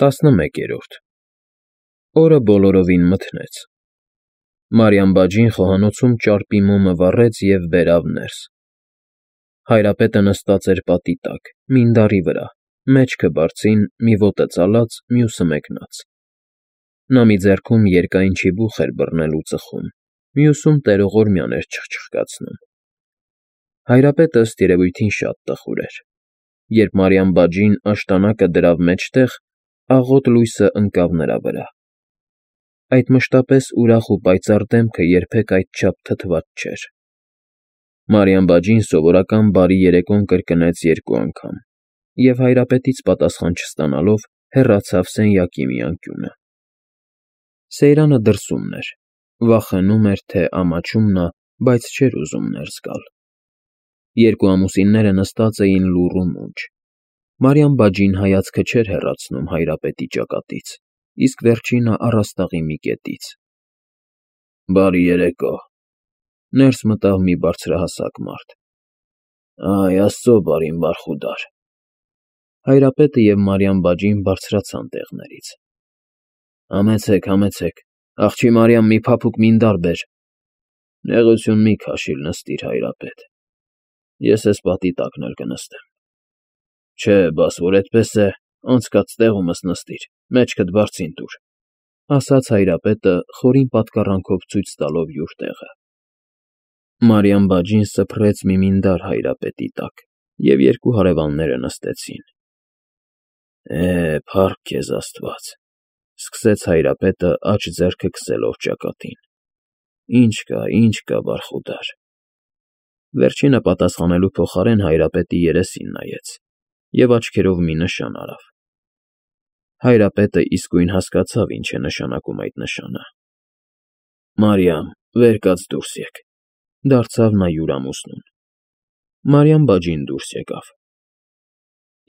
11-րդ Օրը բոլորովին մթնեց։ Մարիամ բաջին խոհանոցում ճարպի մոմը վառեց և բերավ ներս։ Հայրապետը նստած էր պատի տակ, մինդարի վրա, մեջքը բարձին, մի ոտը ծալած, մյուսը մեկնած։ Նա մի ձեռքում երկայն չիբուխ էր բռնել ու ծխում, մյուսում տերողորմյան էր չխչխկացնում։ Հայրապետը ըստ երևույթին շատ տխուր էր։ Երբ Մարիամ բաջին աշտանակը դրավ մեջտեղ, աղոտ լույսը ընկավ նրա վրա։ Այդ մշտապես ուրախ ու պայծառ դեմքը երբեք այդչափ թթված չէր։ Մարիամ բաջին սովորական բարի երեկոն կրկնեց 2 անգամ և հայրապետից պատասխան չստանալով հեռացավ սենյակի մի անկյունը։ Սեյրանը դրսումն էր, վախենում էր, թե ամաչում նա, բայց չէր ուզում ներս գալ։ 2 ամուսինները նստած էին լուռ ու մունջ։ Մարիամ բաջին հայացքը չէր հեռացնում հայրապետի ճակատից, իսկ վերջինը առաստաղի մի կետից։ Բարի երեկո։ Ներս մտավ մի բարձրահասակ մարդ։ Այ աստծո բարին բարխուդար։ Հայրապետը և Մարիամ բաջին բարձրացան տեղներից։ Համեցեք, աղջի Մարիամ, մի փափուկ մինդար բեր։ Նեղություն մի քաշիլ, նստիր, հայրապետ։ Ես էս պատի տակն էլ կնստեմ։ Չէ, բաս որ էդպես է, անցկաց տեղումս նստիր, մեջքդ բարձին տուր, ասաց հայրապետը խորին պատկառանքով ցույց տալով յուր տեղը։ Մարիամ բաջին սփռեց մի մինդար հայրապետի տակ, և 2 հարևանները նստեցին։ Փառք քեզ Աստված, սկսեց հայրապետը աջ ձեռքը քսելով ճակատին։ Ինչ կա, բարխուդար։ Վերջինը պատասխանելու փոխարեն հայրապետի երեսին նայեց և աչքերով մի նշան արավ։ Հայրապետը իսկույն հասկացավ ինչ է նշանակում այդ նշանը։ Մարիամ, վեր կաց դուրս եկ, դարձավ նա յուր ամուսնուն։ Մարիամ բաջին դուրս եկավ։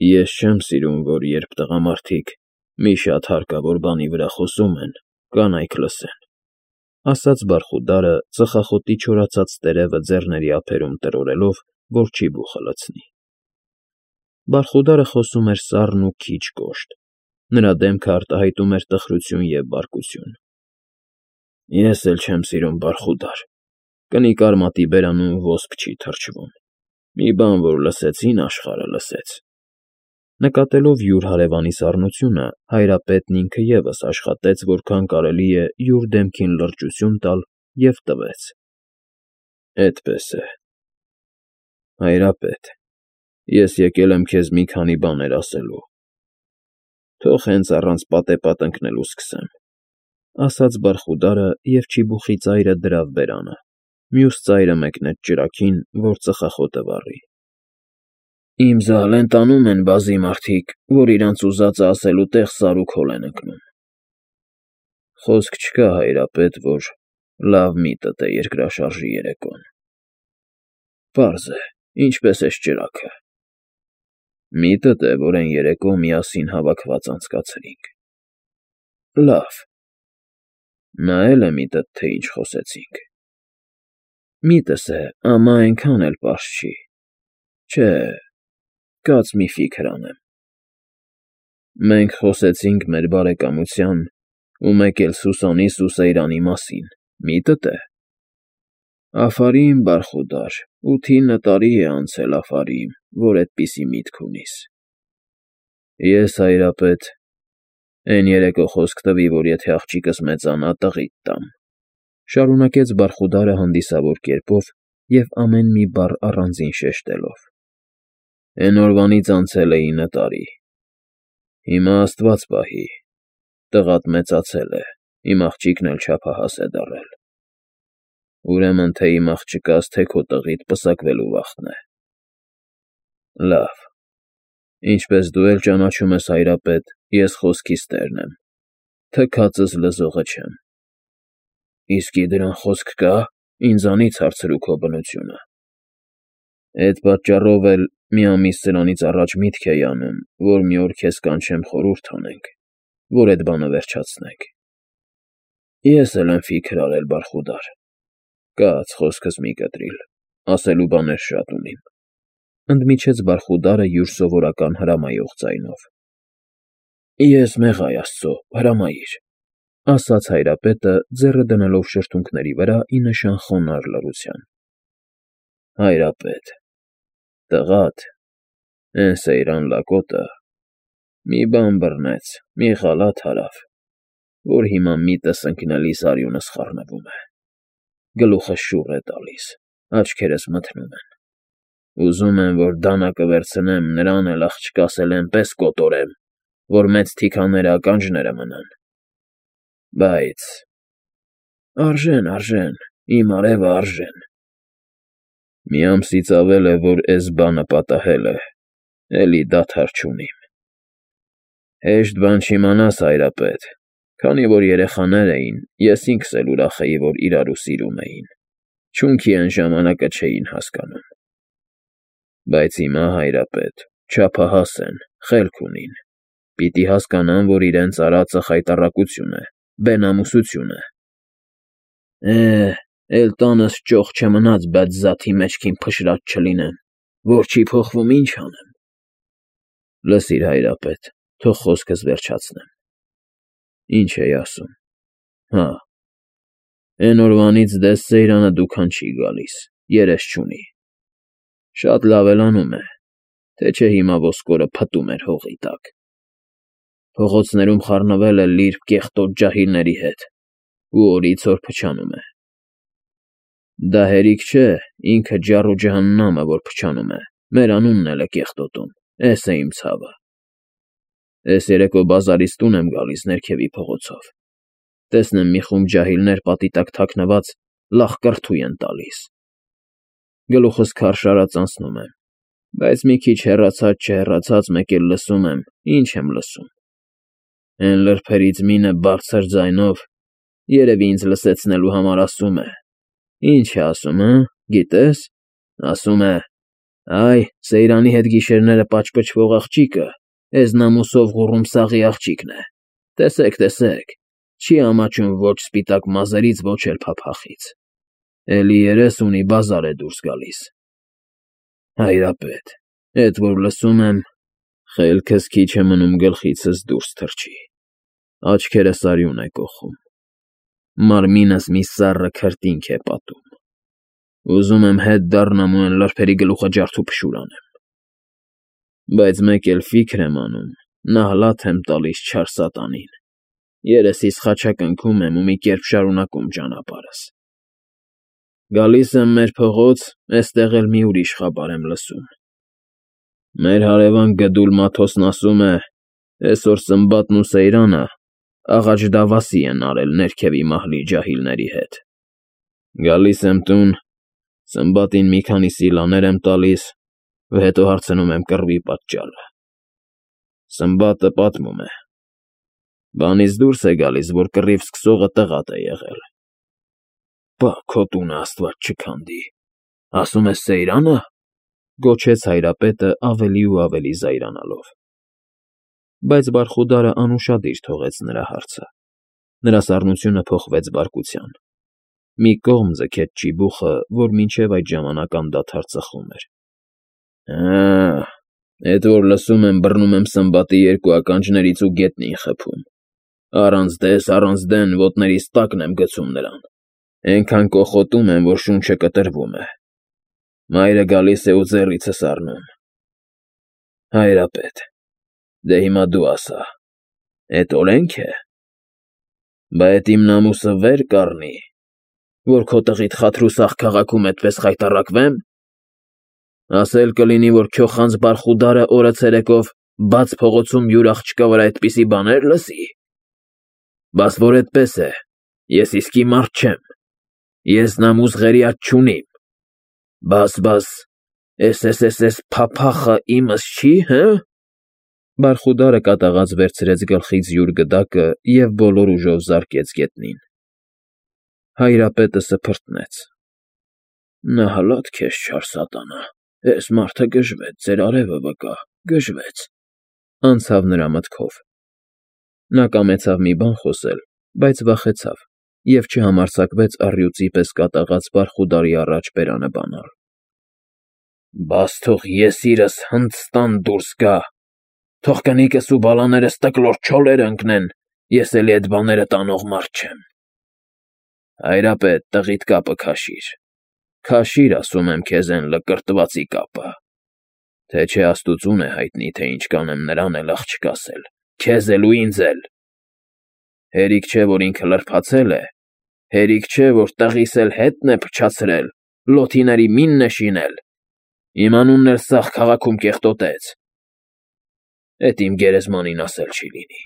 Ես չեմ սիրում, որ երբ տղամարդիկ մի շատ հարկավոր բանի վրա խոսում են, կանայք լսեն, ասաց բարխուդարը ծխախոտի չորացած տերևը ձեռների ափերում տրորելով, որ չիբուխը լցնի։ Բարխուդարը խոսում էր սառն ու քիչ կոշտ, նրա դեմքը արտահայտում էր տխրություն և բարկություն։ Ես էլ չեմ սիրում, բարխուդար, կնիկ արմատի բերանուն ոսպ չի թռչվում, մի բան որ լսեցին, աշխարհը լսեց։ Նկատելով յուր հարևանի սառնությունը, հայրապետն ինքը ևս աշխատեց, որքան կարելի է յուր դեմքին լրջություն տալ և տվեց։ Էդպես է։ Հայրապետ, ես եկել եմ քեզ մի քանի բաներ ասելու։ Թող հենց առանց պատեպատ ընկնելու սկսեմ, ասաց բարխուդարը և չիբուխի ծայրը դրավ բերանը, մյուս ծայրը մեկնեց ճրագին, որ ծխախոտը վառի։ Իմ զահլեն տանում են բազի մարդիկ, որ իրանց ուզածը ասելու տեղ սար ու քոլ են ընկնում։ Խոսք չկա, հայրապետ, որ լավ միտդ է երկրաշարժի երեկոն։ Պարզ է, ինչպես էս ճրագը։ Միտդ է, որ էն երեկո միասին հավաքված անցկացրինք։ Լավ։ Նա էլ է միտդ, թե ինչ խոսեցինք։ Միտս է, ամա էնքան էլ պարզ չի։ Չէ, կաց մի ֆիքր անեմ։ Մենք խոսեցինք մեր բարեկամության ու մեկ էլ Սուսանի Սուսեյրանի մասին, միտդ է։ Աֆարիմ, բարխուդար, 8-9 տարի է անցել Աֆարիմ, որ էդպիսի միտք ունիս։ Ես, հայրապետ, էն երեկո խոսք տվի, որ եթե աղջիկս մեծանա, տղիդ տամ, շարունակեց բարխուդարը հանդիսավոր կերպով և ամեն մի բառ առանձին շեշտելով։ Էն օրվանից անցել է 9 տարի։ Հիմա Աստված պահի, տղադ մեծացել է, իմ աղջիկն էլ չափահաս է դառել։ Ուրեմն թե իմ աղջկաս, թե քո տղիդ պսակվելու վախն է։ Լավ, ինչպես դու էլ ճանաչում ես, հայրապետ, ես խոսքիս տերն եմ, թքածս լզողը չեմ։ Իսկի դրան խոսք կա, ինձանից հարցրու քո բնությունը։ Էդ պատճառով էլ մի ամիս սրանից առաջ միտք էի անում, որ մի օր քեզ կանչեմ խորհուրդ անենք, որ էդ բանը վերջացնենք։ Ես էլ եմ ֆիքր արել, բարխուդար։ Կաց խոսքս մի կտրիլ, ասելու բաներ շատ ունիմ, ընդմիջեց բարխուդարը յուր սովորական հրամայող ձայնով։ Ես մեղա Աստծո, հրամայիր, ասաց հայրապետը, ձեռը դնելով շրթունքների վրա ի նշան խոնարհ լռության։ Հայրապետ, տղադ, էն Սեյրան Լակոտը մի բան բռնեց, մի խալաթ հարավ, որ հիմա միտս ընկնելիս արյունս խառնվում է, գլուխս շուռ է տալիս, աչքերս մթնում են, ուզում եմ, որ դանակը վերցնեմ, նրան էլ աղջկաս էլ էնպես կոտորեմ, որ մեծ թիքաները ականջները մնան, բայց արժեն, իմ արևը արժեն, մի ամսից ավել է, որ էս բանը պատահել է, էլի դադար չունիմ, հեշտ բան չիմանաս, հայրապետ, քանի որ երեխաներ էին, ես ինքս էլ ուրախ էի, որ իրարու սիրում էին, չունքի այն ժամանակը չէին հասկանում, բայց հիմա, հայրապետ, չափահաս են, խելք ունին, պիտի հասկանան, որ իրենց արածը խայտառակություն է, բենամուսություն է։ Էլ տանս ճոխ չմնաց, բայց զաթի մեջքին փշրած չլինեմ, որ չի փոխվում, ինչ անեմ։ Լսիր, հայրապետ, թող խոսքս վերջացնեմ։ Ինչ էի ասում։ Հա, էն օրվանից դες Սեյրանը դուքան չի գալիս, երես չունի։ Շատ լավ էլ անում է, թե չէ հիմա ոսկորը փտում էր հողի տակ։ Փողոցներում խառնվել է լիրբ կեղտոտ ջահիլների հետ, ու օրից օր փչանում է։ Դա հերիք չէ, ինքը ջառ ու ջհաննամը, որ փչանում է, մեր անունն էլ է կեղտոտում, էս է իմ ցավը։ Էս երեկո բազարից տուն եմ գալիս ներքևի փողոցով, տեսնեմ մի խումբ ջահիլներ պատի տակ թաքնված լախ կրթույ են տալիս։ Գլուխս քարշ արած անցնում եմ, բայց մի քիչ հեռացած մեկ էլ լսում եմ, ինչ եմ լսում։ Էն լրբերից մինը բարձր ձայնով, երևի ինձ լսեցնելու համար ասում է. Ինչ է ասում, գիտես, ասում է. այ, Սեյրանի հետ գիշերները պաճպճվող աղջիկը, էզնամուսով Ղուռումսաղի աղջիկն է, տեսեք, չի ամաչում ոչ սպիտակ մազերից, ոչ էլ փափախից, էլի երես ունի բազար է դուրս գալիս։ Հայրապետ, էդ որ լսում եմ, խելքս քիչ է մնում գլխիցս դուրս թռչի, աչքերս արյուն է կոխում, մարմինս մի սառը քրտինք է պատում, ուզում եմ հետ դառնամ ու էն լրբերի գլուխը ջարդու փշուր անեմ, բայց մեկ էլ ֆիքր եմ անում, նահլաթ եմ տալիս չար սատանին, երեսիս խաչակնքում եմ ու մի կերպ շարունակում ճանապարհս։ Գալիս եմ մեր փողոց, էստեղ էլ մի ուրիշ խաբար եմ լսում։ Մեր հարևան Գդուլ Մաթոսն ասում է, էսօր Սմբատն ու Սեյրանը աղաջ դավասի են արել ներքևի մահլի ջահիլների հետ։ Գալիս եմ տուն, Սմբատին մի քանի սիլաներ եմ տալիս, հետո հարցնում եմ կռվի պատճառը։ Սմբատը պատմում է. բանից դուրս է գալիս, որ կռիվ սկսողը տղատ է եղել։ Բա քո տունը Աստված չքանդի, ասում ես Սեյրանը, գոչեց հայրապետը ավելի ու ավելի զայրանալով։ Բայց Բարխուդարը անուշադիր թողեց նրա հարցը։ Նրա սառնությունը փոխվեց բարկության։ Մի կողմ ձգեց ճիբուխը, որ մինչև այդ ժամանակ անդադար ծխում էր։ Էդ որ լսում եմ, բռնում եմ Սմբատի երկու ականջներից ու գետնին խփում։ Առանց դեն ոտներիս տակն եմ գցում նրան։ Էնքան կոխոտում եմ, որ շունչը կտրվում է։ Մայրը գալիս է ու ձեռիցս առնում։ Հայրապետ, դե հիմա դու ասա, էդ օրենք է։ Բա էդ իմ նամուսը վեր կառնի, որ քո տղիդ Խաթրուսաղ քաղաքում էդպես խայտառակվեմ։ Ասել կլինի, որ քյոխանձ Բարխուդարը օրը ցերեկով բաց փողոցում յուր աղջկա վրա այդպիսի բաներ լսի։ Բաս որ էդպես է, ես իսկի մարդ չեմ, ես նամուս ղերիաթ չունիմ, բաս, էս փափախը իմս չի, Բարխուդարը կատաղած վերցրեց գլխից յուր գդակը և բոլոր ուժով զարկեց գետնին։ Հայրապետը սփռտնեց։ Նահլատ քեզ չար սատանա, էս մարդը գժվեց, ձեր արևը վկա, գժվեց, անցավ նրա մտքով։ Նա կամեցավ մի բան խոսել, բայց վախեցավ և չհամարձակվեց առյուծի պես կատաղած Բարխուդարի առաջ բերանը բանալ։ Բաս թող ես իրս հնդստան դուրս գա, Թող կնիկս ու բալաներս տկլոր չոլեր ընկնեն, ես էլի այդ բաները տանող մարդ չեմ։ Հայրապետ, տղիդ կապը քաշիր։ Քաշիր, ասում եմ քեզ, են լկրտվածի կապը։ Թե չէ աստուծուն է հայտնի, թե ինչ կանեմ նրան էլ աղջիկ ասել, քեզ էլ ու ինձ էլ։ Հերիք չէ, որ ինքը լրբացել է, հերիք չէ, որ տղիս էլ հետն է փչացրել, լոթիների մինն է շինել, իմ անունն էլ սաղ քաղաքում կեղտոտեց։ Էդ իմ գերեզմանին ասել չի լինի։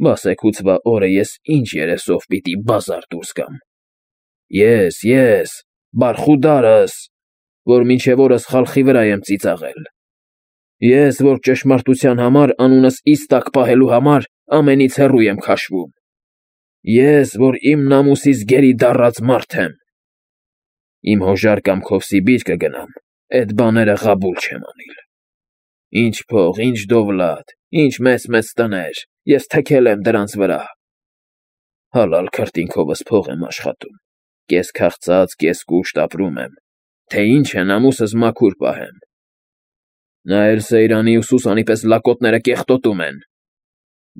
Բասեքուցվա օրը ես ինչ երեսով պիտի բազար դուրս գամ։ Ես, Բարխուդարս, որ մինչև օրս խալխի վրա եմ ծիծաղել։ Ես, որ ճշմարտության համար անունս իստակ պահելու համար ամենից հեռու եմ քաշվում։ Ես, որ իմ նամուսից գերի դառած մարդ եմ։ Իմ հոժար կամ քովսի բիր կգնամ, այդ բաները ղաբուլ չեմ անիլ։ Ինչ փող, ինչ դովլատ, ինչ մեծ տներ, ես թքել եմ դրանց վրա։ Հալալ քրտինքովս փող եմ աշխատում, կես քաղցած, կես կուշտ ապրում եմ, թե ինչ է նամուսս մաքուր պահեմ։ Նա էլ Սեյրանի ու Սուսանի պես լակոտները կեղտոտում են։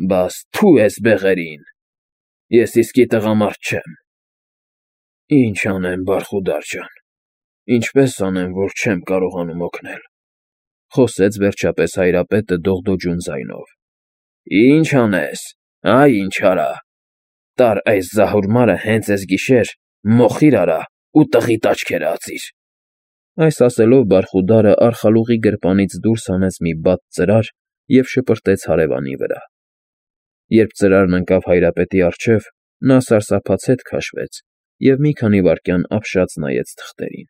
Բաս թու ես բեղերին, ես իսկի տղամարդ չեմ։ Ինչ անեմ, Բարխուդար ջան, ինչպես անեմ, որ չեմ կարողանում օգնել, խոսեց վերջապես հայրապետը դողդոջուն ձայնով։ Ինչ անես, այ ինչ արա, տար այս զահուրմարը հենց այս գիշեր, մոխիր արա ու տղիդ աչքերը ածիր։ Այս ասելով Բարխուդարը արխալուղի գրպանից դուրս հանեց մի բաց ծրար և շպրտեց հարևանի վրա։ Երբ ծրարն ընկավ հայրապետի առջև, նա սարսափած հետ քաշվեց և մի քանի վայրկյան ապշած նայեց թղթերին,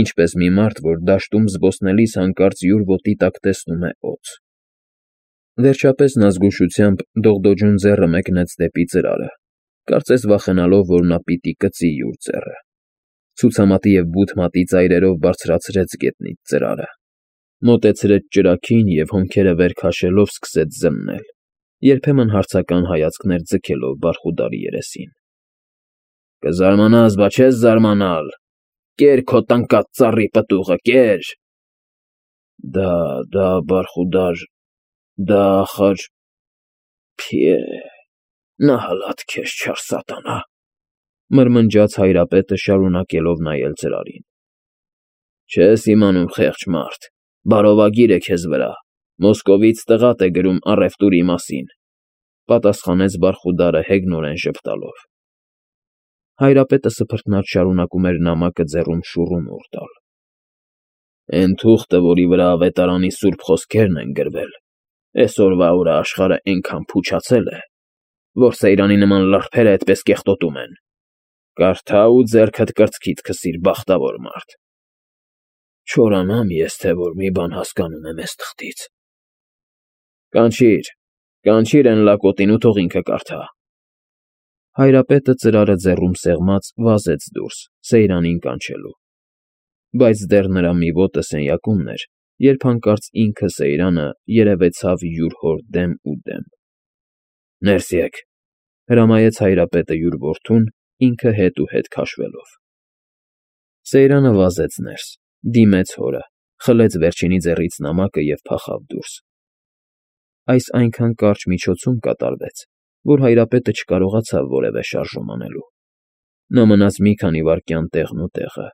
ինչպես մի մարդ, որ դաշտում զբոսնելիս հանկարծ յուր ոտի տակ տեսնում է օձ։ Վերջապես նա զգուշությամբ դողդոջուն ձեռը մեկնեց դեպի ծրարը, կարծես վախենալով, որ նա պիտի կծի յուր ձեռը։ Ցուցամատի և բութմատի ծայրերով բարձրացրեց գետնից ծրարը, մոտեցրեց ճրագին և հոնքերը վեր քաշելով սկսեց զննել, երբեմն հարցական հայացքներ ձգելով Բարխուդարի երեսին։ Կզարմանաս, բա չես զարմանալ, կեր քո տնկած ծառի պտուղը, կեր։ Դա Բարխուդար, դա ախար, փիե, նա հլատ քեզ չար սատանա, մրմնջաց հայրապետը շարունակելով նայել ծրարին։ Չես իմանում, խեղճ մարդ, բարովագիր է քեզ վրա, Մոսկովից տղատ է գրում առևտուրի մասին, պատասխանեց Բարխուդարը հեգնորեն ժպտալով։ Հայրապետը սփռտնած շարունակում էր նամակը ձեռում շուռումուռ տալ։ Էն թուղթը, որի վրա ավետարանի սուրբ խոսքերն են գրվել, այսօրվա օրը աշխարհը այնքան փուչացել է, որ Սեյրանի նման լրբերը այդպես կեղտոտում են։ Կարդա ու ձեռքդ կրծքիդ քսիր, բախտավոր մարդ։ Չորանամ ես, թե որ մի բան հասկանում եմ այս թղթից։ Կանչիր են լակոտին ու թող ինքը կարդա։ Հայրապետը ծրարը ձեռում սեղմած վազեց դուրս, Սեյրանին կանչելու։ Բայց դեռ նրա մի ոտը սենյակումն էր, երբ հանկարծ ինքը Սեյրանը երևեցավ յուր հոր դեմ ու դեմ։ Ներս եկ, հրամայեց հայրապետը յուր որդուն, ինքը հետ ու հետ քաշվելով։ Սեյրանը վազեց ներս, դիմեց հորը, խլեց վերջինի ձեռից նամակը և փախավ դուրս։ Այս այնքան կարճ միջոցում կատարվեց, որ հայրապետը չկարողացավ որևէ շարժում անելու։ Նա մնաց մի քանի վայրկյան տեղն ու տեղը։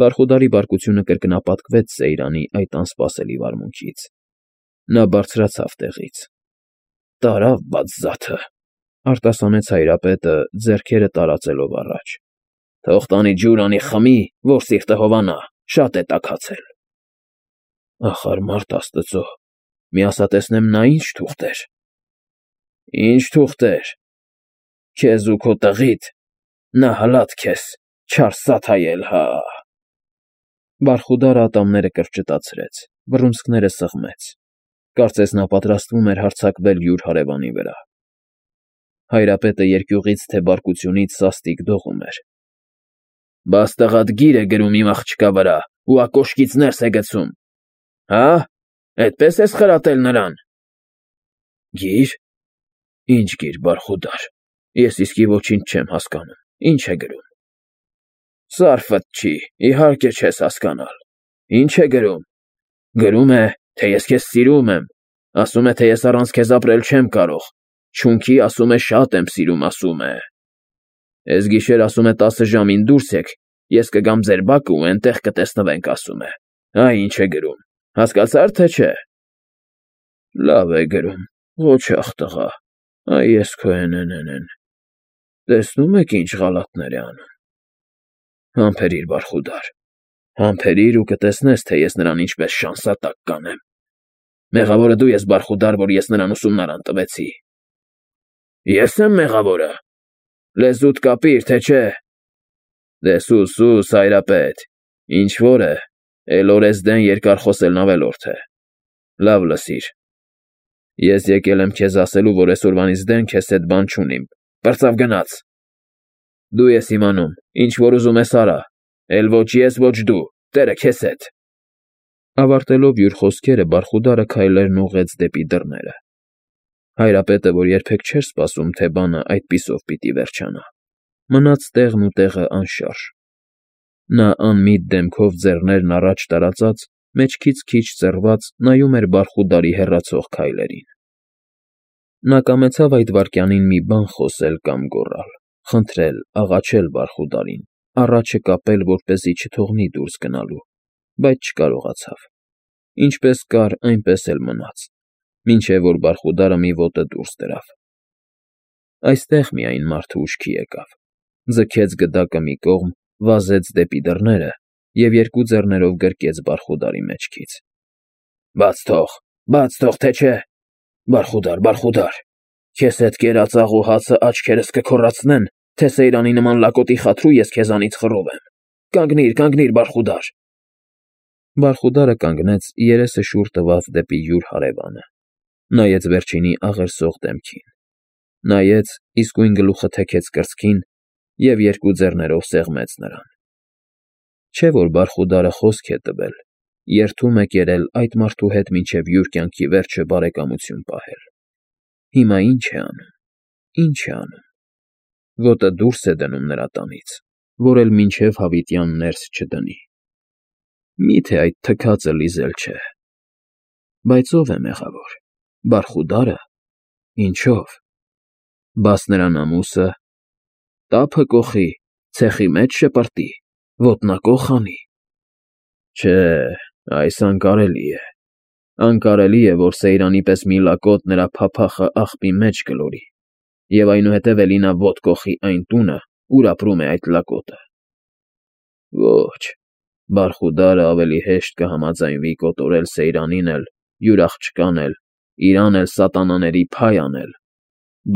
Բարխուդարի բարկությունը կրկնապատկվեց Սեյրանի այդ անսպասելի վարմունքից։ Նա բարձրացավ տեղից։ Տարավ բաձզաթը, արտասանեց հայրապետը, ձեռքերը տարածելով առաջ։ Թող տանի ջուր անի խմի, որ սիրտը հովանա, շատ է տաքացել։ Ախար մարդ աստծո, մի ասա տեսնեմ նա ինչ թուղթ էր։ Ինչ թուղթեր։ Քեզ ու քո տղիդ, նա հլատ քեզ, չար սաթայել, հա։ Բարխուդարը ատամները կրճտացրեց, բռունցքները սղմեց, կարծես նա պատրաստվում էր հարձակվել յուր հարևանի վրա։ Հայրապետը երկյուղից թե բարկությունից սաստիկ դողում էր։ Բաս տղադ գիր է գրում իմ աղջկա վրա ու ակոշկից ներս է գցում։ Հա՞, այդպես ես խրատել նրան։ Գիր։ Ինչ գիր, Բարխուդար, ես իսկի ոչինչ չեմ հասկանում, ինչ է գրում։ Սարֆդ չի, իհարկե չես հասկանալ։ Ինչ է գրում։ Գրում է, թե ես քեզ սիրում եմ, Ասում է, թե ես առանց քեզ ապրել չեմ կարող։ Չունքի ասում է շատ եմ սիրում, ասում է։ Էս գիշեր ասում է 10 ժամին դուրս եք, ես կգամ ձեր բակը ու էնտեղ կտեսնվենք, ասում է։ Այ ինչ է գրում, հասկացա՞ր թե չէ։ Լավ է գրում, ղոչաղ տղա, այ ես քո են։ Տեսնում եք ինչ ղալաթներ է անում։ Համբերիր, Բարխուդար, համբերիր ու կտեսնես, թե ես նրան ինչպես շանսատակ կանեմ։ Մեղավորը դու ես, Բարխուդար, որ ես նրան ուսումնարան տվեցի։ Ես եմ մեղավորը։ Լեզուդ կապիր, թե չէ։ Դե սուս, հայրապետ, ինչ որ է, էլ օրեսդեն երկար խոսելն ավելորդ է։ Լավ լսիր։ Ես եկել եմ քեզ ասելու, որ այսօրվանից դեն քեզ հետ բան չունիմ։ Պրծավ գնաց։ Դու ես իմանում, ինչ որ ուզում ես արա, էլ ոչ ես, ոչ դու, տերը քեզ հետ։ Ավարտելով յուր խոսքերը, Բարխուդարը քայլերն ուղղեց դեպի դռները։ Հայրապետը, որ երբեք չէր սպասում, թե բանը այդպիսով պիտի վերջանա, մնաց տեղն ու տեղը անշարժ։ Նա անմիտ դեմքով ձեռներն առաջ տարածած, մեջքից քիչ ծռված նայում էր Բարխուդարի հեռացող քայլերին։ Նա կամեցավ այդ վայրկյանին մի բան խոսել կամ գոռալ, խնդրել, աղաչել Բարխուդարին, առաջը կապել, որպեսզի չթողնի դուրս գնալու, բայց չկարողացավ։ Ինչպես կար, այնպես էլ մնաց, մինչև որ Բարխուդարը մի ոտը դուրս դրավ։ Այստեղ միայն մարդը ուշքի եկավ, ձգեց գդակը մի կողմ, վազեց դեպի դռները և երկու ձեռներով գրկեց Բարխուդարի մեջքից։ Բաց թող, թե չէ։ Բարխուդար, քեզ հետ կերած աղու հացը աչքերս կքոռացնեն, թե Սեյրանի նման լակոտի խաթրու ես քեզանից խռով եմ։ Կանգնիր, Բարխուդար։ Բարխուդարը կանգնեց, երեսը շուռ տված դեպի յուր հարևանը, նայեց վերջինի աղերսող դեմքին, նայեց, իսկույն գլուխը թեքեց կրծքին և երկու ձեռներով սեղմեց նրան։ Չէ՞ որ Բարխուդարը խոսք է տվել, երդում է կերել այդ մարդու հետ մինչև յուր կյանքի վերջը բարեկամություն պահել։ Հիմա ինչ է անում։ Ոտը դուրս է դնում նրա տանից, որ էլ մինչև հավիտյան ներս չդնի։ Մի՞թե այդ թքածը լիզել չէ։ Բայց ո՞վ է մեղավոր։ Բարխուդարը։ Ինչո՞վ։ Բաս նրան ամուսը։ Տափը կոխի, ցեխի մեջ շպրտի, ոտնակոխ անի։ Չէ, այս անկարելի է։ Անկարելի է, որ Սեյրանի պես մի լակոտ նրա փափախը աղբի մեջ գլորի, և այնուհետև էլի նա ոտ կոխի այն տունը, ուր ապրում է այդ լակոտը։ Ոչ, Բարխուդարը ավելի հեշտ կհամաձայնվի կոտորել Սեյրանին էլ, յուր աղջկան էլ, իրան էլ սատանաների փայ անել,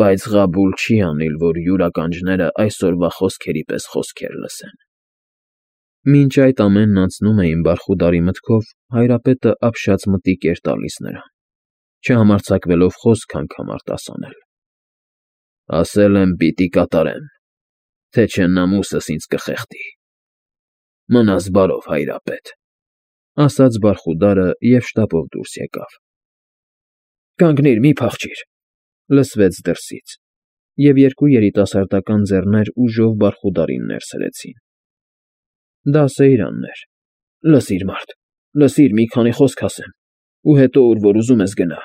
բայց ղաբուլ չի անիլ, որ յուր ականջները այսօրվա խոսքերի պես խոսքեր լսեն։ Մինչ այդ ամենն անցնում էին Բարխուդարի մտքով, հայրապետը ապշած մտիկ էր տալիս նրան, չհամարձակվելով խոսք անգամ արտասանել։ Ասել եմ պիտի կատարեմ, թե չէ նամուսս ինձ կխեղդի։ Մնաս բարով, հայրապետ, ասաց Բարխուդարը և շտապով դուրս եկավ։ Կանգնիր, մի փախչիր, լսվեց դրսից, և երկու երիտասարդական ձեռներ ուժով Բարխուդարին ներս հրեցին։ Դա Սեյրանն էր։ Լսիր, մարդ, լսիր, մի քանի խոսք ասեմ, ու հետո ուր որ ուզում ես գնա։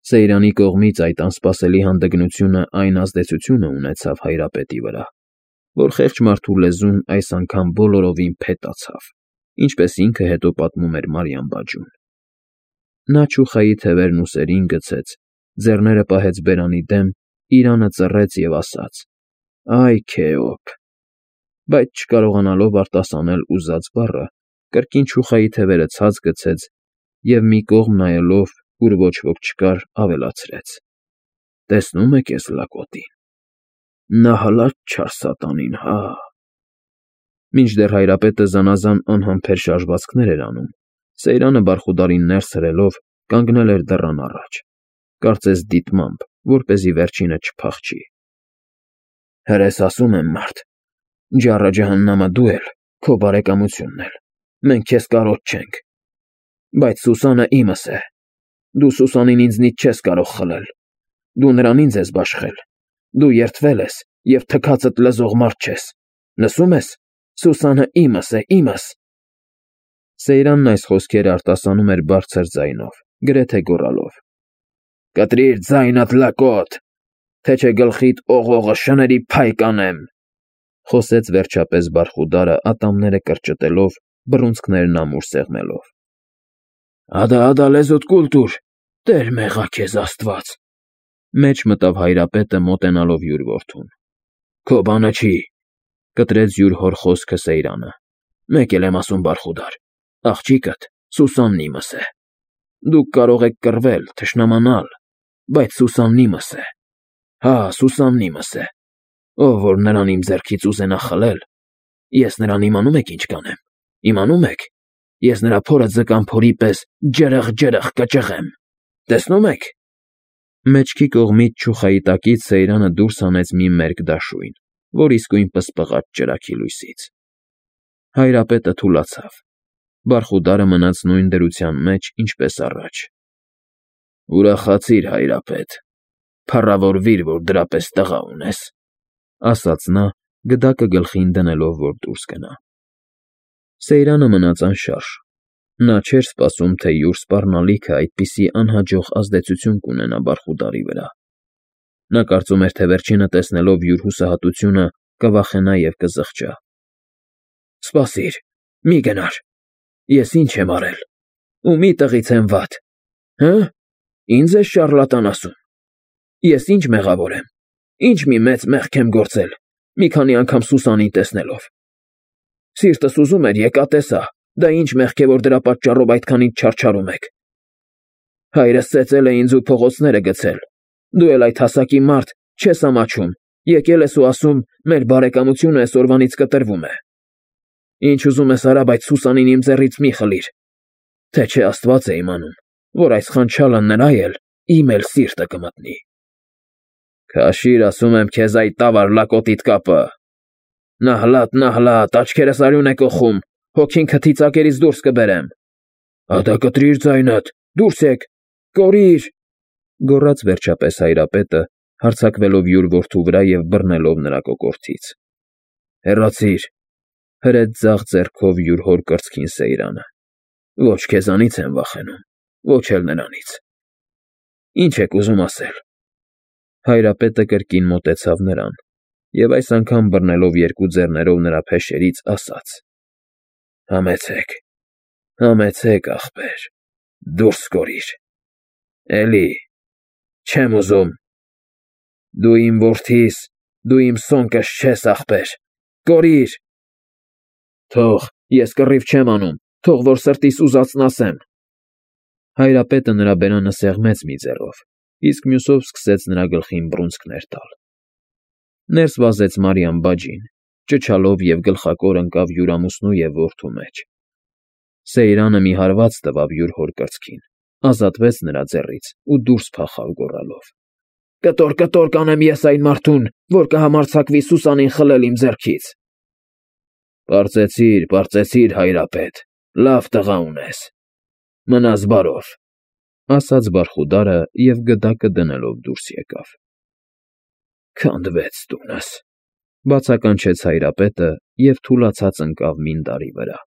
Սեյրանի կողմից այդ անսպասելի հանդգնությունը այն ազդեցությունը ունեցավ հայրապետի վրա, որ խեղճ մարդու լեզուն այս անգամ բոլորովին փետացավ, ինչպես ինքը հետո պատմում էր Մարիամ բաջուն։ Նա չուխայի թևերն ուսերին գցեց, ձեռները պահեց բերանի դեմ, իրանը ծռեց և ասաց. «Այ Քեոպ», բայց չկարողանալով արտասանել ուզած բառը, կրկին չուխայի թևերը ցած գցեց և մի կողմ նայելով, ուր ոչ ոք չկար, ավելացրեց. «Տեսնում եք էս լակոտին, նա հալած չար սատանին, հա»։ Մինչդեռ հայրապետը զանազան անհամբեր շարժվածքներ էր անում, Սեյրանը Բարխուդարին ներս հրելով կանգնել էր դռան առաջ, կարծես դիտմամբ, որպեսզի վերջինը չփախչի։ Հրես ասում եմ, մարդ, ջառը ջհաննամը դու էլ, քո բարեկամությունն էլ, մենք քեզ կարոտ չենք, բայց Սուսանը իմս է, դու Սուսանին ինձնից չես կարող խլել, դու նրան ինձ ես բաշխել, դու երդվել ես և թքածդ լզող մարդ չես, լսում ես, Սուսանը իմս է, իմս։ Սեյրանն այս խոսքերը արտասանում էր բարձր ձայնով, գրեթե գոռալով. «Կտրիր ձայնդ, լակոտ, թե չէ գլխիդ օղողը շների փայ կանեմ», խոսեց վերջապես Բարխուդարը ատամները կրճտելով, բռունցքներն ամուր սեղմելով։ «Ադա լեզուդ կուլ տուր, Տեր մեղա քեզ Աստված», մեջ մտավ Հայրապետը մոտենալով յուր որդուն։ «Քո բանը չի», կտրեց յուր հոր խոսքը Սեյրանը։ «Մեկ էլ եմ ասում, Բարխուդար, աղջիկդ Սուսաննի իմս է։ Դուք կարող եք կռվել, թշնամանալ, բայց Սուսաննի իմս է։ Հա, Սուսաննի իմս է։ Ով որ նրան իմ ձեռքից ուզենա խլել, ես նրան իմանում եք ինչ կանեմ։ Իմանում եք, ես նրա փորը ձկան փորի պես ջրղ կճղեմ։ Տեսնում եք»։ Մեջքի կողմից չուխայի տակից Սեյրանը դուրս հանեց մի մերկ դաշույն, որ իսկույն պսպղաց ճրագի լույսից։ Հայրապետը թուլացավ։ Բարխուդարը մնաց նույն դրության մեջ, ինչպես առաջ։ «Ուրախացիր, Հայրապետ, փառավորվիր, որ դրա պես տղա ունես», ասաց նա, գդակը գլխին դնելով, որ դուրս գնա։ Սեյրանը մնաց անշարժ։ Նա չէր սպասում, թե յուր սպառնալիքը այդպիսի անհաջող ազդեցություն կունենա Բարխուդարի վրա։ Նա կարծում էր, թե վերջինը տեսնելով յուր հուսահատությունը կվախենա և կզղջա։ «Սպասիր, մի գնար, ես ինչ եմ արել, ումի տղից եմ վատ, հը՞, ինձ ես շառլատան ասում։ Ես ինչ մեղավոր եմ, ինչ մի մեծ մեղք եմ գործել, մի քանի անգամ Սուսանին տեսնելով։ Սիրտս ուզում էր եկա տեսա, դա ինչ մեղք է, որ դրա պատճառով այդքան ինձ չարչարում եք։ Հայրս ծեծել է ինձ ու փողոցները գցել, դու էլ այդ հասակի մարդ չես ամաչում, եկել ես ու ասում, մեր բարեկամությունը այսօրվանից կտրվում է։ Ինչ ուզում ես արա, բայց Սուսանին իմ ձեռից մի խլիր, թե չէ Աստված է իմանում, որ այս խանչալը նրա իմ էլ սիրտը կմտնի»։ «Քաշիր, ասում եմ քեզ, այդ տավար լակոտիդ կապը։ Նահլատ, աչքերս արյուն է կոխում, հոգին քթի ծակերից դուրս կբերեմ։ Ադա կտրիր ձայնդ, դուրս եկ, կորիր», գոռաց վերջապես Հայրապետը, հարձակվելով յուր որդու վրա և բռնելով նրա կոկորդից։ «Հեռացիր», հրեց ձախ ձեռքով յուր հոր կրծքին Սեյրանը։ «Ոչ քեզանից եմ վախենում, ոչ էլ նրանից։ Ինչ եք ուզում ասել»։ Հայրապետը կրկին մոտեցավ նրան և այս անգամ բռնելով երկու ձեռներով նրա փեշերից ասաց. Համեցեք, ախպեր, դուրս կորիր։ Էլի, չեմ ուզում։ Դու իմ որդիս, դու իմ սոնկս չես, ախպեր, կորիր։ Թող, ես կռիվ չեմ անում, թող որ սրտիս ուզածն ասեմ։ Հայրապետը նրա բերանը սեղմեց մի ձեռով, իսկ մյուսով սկսեց նրա գլխին բռունցքներ տալ։ Ներս վազեց Մարիամ բաջին, ճչալով և գլխակոր ընկավ յուր ամուսնու և որդու մեջ։ Սեյրանը մի հարված տվավ յուր հոր կրծքին, ազատվեց նրա ձեռից ու դուրս փախավ գոռալով. Կտոր կանեմ ես այն մարդուն, որ կհամարձակվի Սուսանին խլել իմ ձեռքից։ Պարծեցիր, Հայրապետ, լավ տղա ունես, մնաս բարով, ասաց Բարխուդարը և գդակը դնելով դուրս եկավ։ Քանդվեց տունս, բացականչեց Հայրապետը և թուլացած ընկավ մինդարի վրա։